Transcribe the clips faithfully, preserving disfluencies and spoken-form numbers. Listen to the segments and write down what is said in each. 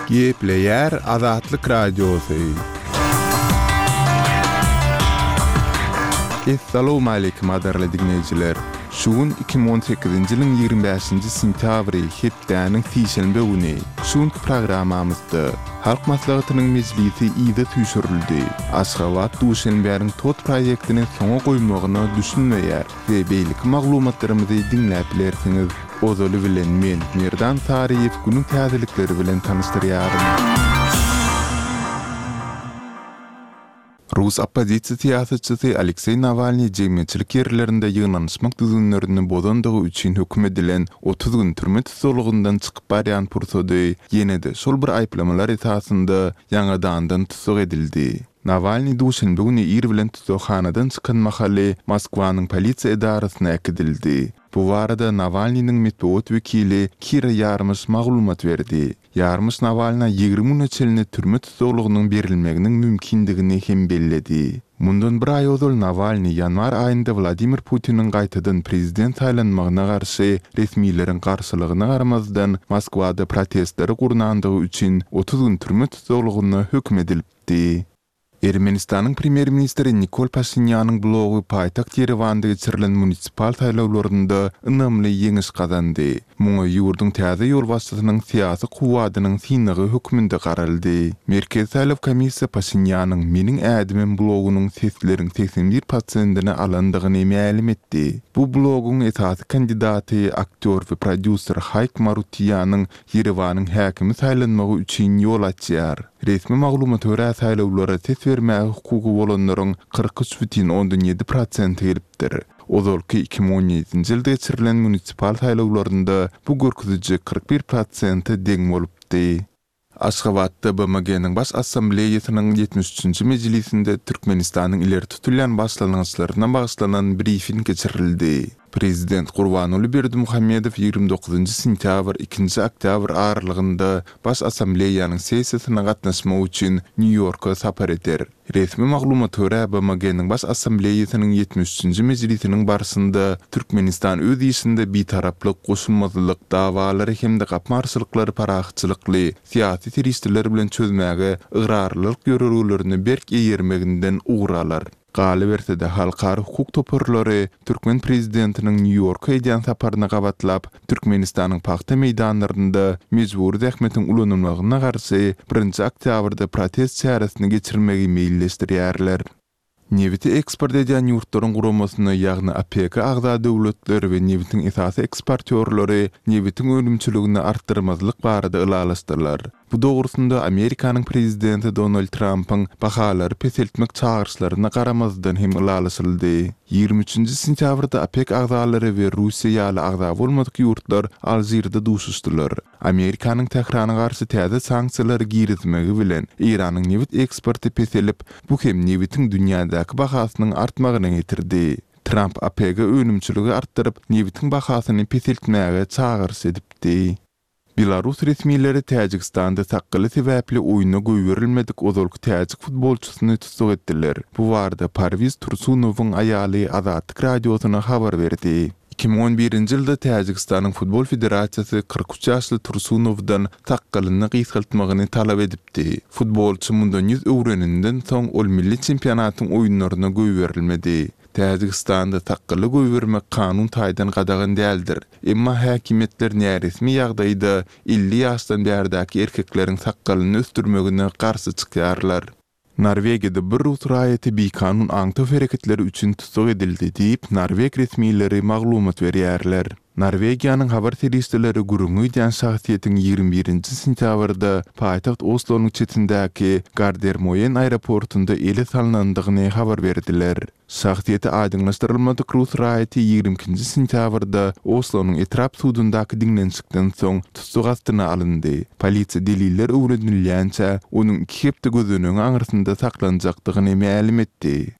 Gepleýär Azatlyk Radiosy. Essalawmaleýkim gadyrly diňleýjiler! Şu gün iki müň on sekizinji ýylyň ýigrimi bäşinji sentýabry, hepdäniň sişenbe güni. Şu günki programmamyzda Halk Maslahatynyň mejlisi yza süýşürildi. Aşgabat Duşenbäniň TOT proýektini soňa goýmagyna düşünmeýär we beýleki maglumatlarymyzy diňläp bilersiňiz. Ozaly bilen men, Merdan Saryýew günüň täzelikleri bilen tanyşdyrýaryn. Rus oppozisiýa syýasatçysy Alekseý Nawalnyý jemgyýetçilik ýerlerinde ýygnanyşmak düzgünlerini bozandygy üçin höküm edilen otuz gün türme tussaglygyndan çykyp barýan pursady ýene-de şol bir aýyplamalar esasynda ýaňadandan tussag edildi. Nawalnyý duşenbe güni ir bilen tussaghanadan çykan mahaly Moskwanyň polisiýa edarasyna äkidildi. Bu barada Nawalnynyň metbugat wekili Kira Ýarmyş maglumat berdi. Ýarmyş Nawalna ýigrimi güne çenli türme tussaglygynyň berilmeginiň mümkindigini hem belledi. Mundan bir aý ozal Nawalnyý ýanwar aýynda Wladimir Putiniň gaýtadan prezident saýlanmagyna garşy resmileriň garşylygyna garamazdan Moskwada protestleri gurnandygy üçin otuz gün türme tussaglygyna höküm edilipdi. Ermenistanyň premýer-ministri Nikol Paşinýanyň blogy paýtagt Ýerewanda geçirilen munisipal saýlawlarynda ynamly ýeňiş gazandy. Muňa ýurduň täze ýolbaşçysynyň syýasy kuwwadynyň synagy hökmünde garaldy. Merkezi saýlaw komissiýa Paşinýanyň Meniň ädimim blogunyň sesleriň segsen bir prosentini alandygyny mälim etdi. Bu bloguň esasy kandidaty aktýor we prodýuser Haýk Marutiýanyň Ýerewanyň häkimi saýlanmagy üçin ýol açýar. Resmi maglumata görä, saýlawlara ses bermäge hukugy bolanlaryň kyrk üç bütin ondan ýedi prosenti gelipdir. Ozalky iki müň on ýedinji ýylda geçirilen munisipal saýlawlarynda bu görkeziji kyrk bir prosente deň bolupdy. Aşgabatda B M G-niň Baş Assambleýasynyň ýetmiş üçünji mejlisinde Türkmenistanyň ileri tutulýan başlangyçlaryna bagyşlanan brifing geçirildi. Prezident Gurbanguly Berdimuhamedow ýigrimi dokuzynjy sentýabr, ikinji oktýabr aralygynda Baş Assambleýanyň sessiýasyna gatnaşmak üçin Nýu-Ýorka sapar eder. Resmi maglumata görä, B M G-niň Baş Assambleýasynyň ýetmiş üçünji mejlisiniň barşynda Türkmenistan öz işinde bitaraplyk, goşulmazlyk, dawalary hem-de gapma-garşylyklary parahatçylykly, syýasy serişdeler bilen çözmäge ygrarlylyk ýörelgelerine berk eýermeginden ugur alar. Galyberse-de, halkara hukuk toparlary türkmen prezidentiniň Nýu-Ýorka edýän saparyna gabatlap, Türkmenistanyň pagta meýdanlarynda mejbury zähmetiň ulanylmagyna garşy birinji oktýabrda protest çäresini geçirmegi meýilleşdirýärler. Nebiti eksport edýän ýurtlaryň guramasyna, ýagny OPEC-e agza döwletler we nebitiň esasy eksportýorlary nebitiň önümçiligini artdyrmazlyk barada ylalaşdylar. Bu dogrusynda Amerikanyň prezidenti Donald Trampyň bahalary peseltmek çagyryşlaryna garamazdan hem ylalaşyldy. Ýigrimi üçünji sentýabrda OPEC agzalary we Russiýa ýaly agza bolmadyk ýurtlar Alžirde duşuşdylar. Amerikanyň Tährana garşy täze sanksiýalary girizmegi bilen Eýranyň nebit eksporty peselip, bu hem nebitiň dünýädäki bahasynyň artmagyna getirdi. Tramp OPEC-e önümçiligi artdyryp, nebitiň bahasyny peseltmäge çagyryş edipdi. Belarus resmileri Täjigistanda sakgaly sebäpli oýuna goýberilmedik ozalky täjik futbolçysyny tussag etdiler. Bu barada Parwiz Tursunowyň aýaly Azatlyk Radiosyna habar berdi. Iki müň on birinji ýylda Täjigistanyň Futbol federasiýasy kyrk üç ýaşly Tursunowdan sakgalyny gysgaltmagyny talap edipdi. Futbolçy mundan ýüz öwreninden soň ol milli çempionatyň oýunlaryna goýberilmedi. Täjigistanda sakgaly goýbermek kanun taýdan gadagan däldir. Emma häkimiýetler näresmi ýagdaýda elli ýaşdan bärdäki erkekleriň sakgalyny ösdürmegine garşy çykýarlar. Norwegiýada bir rus raýaty bikanun aňtaw hereketleri üçin tussag edildi diýip, norweg resmileri maglumat berýärler. Norwegiýanyň habar serişdeleri gürrüňi gidýän şahsyýetiň ýigrimi birinji sentýabrda paýtagt Oslonyň çetindäki Gardermoen aeroportunda ele salnandygyny habar berdiler. Şahsyýeti aýdyňlaşdyrylmadyk rus raýaty ýigrimi ikinji sentýabrda Oslonyň etrap sudundaky diňlenişikden soň tussag astyna alyndy. Polisiýa deliller öwrenilýänçä, onuň iki hepde gözenegiň aňyrsynda saklanjakdygyny mälim etdi.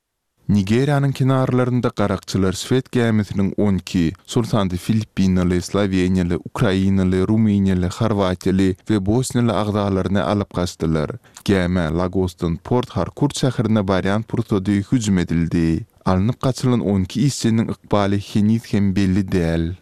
Nigeriýanyň kenarlarynda garakçylar şwed gämisiniň on iki, şol sanda filippinaly, sloweniýaly, ukrainaly, rumyniýaly, horwatiýaly we bosniýaly agzalaryny alyp gaçdylar. Gämä Lagosdan Port-Harkurt şäherine barýan pursady hüjüm edildi. Alnyp gaçylan on iki işçiniň ykbaly heniz hem belli däl.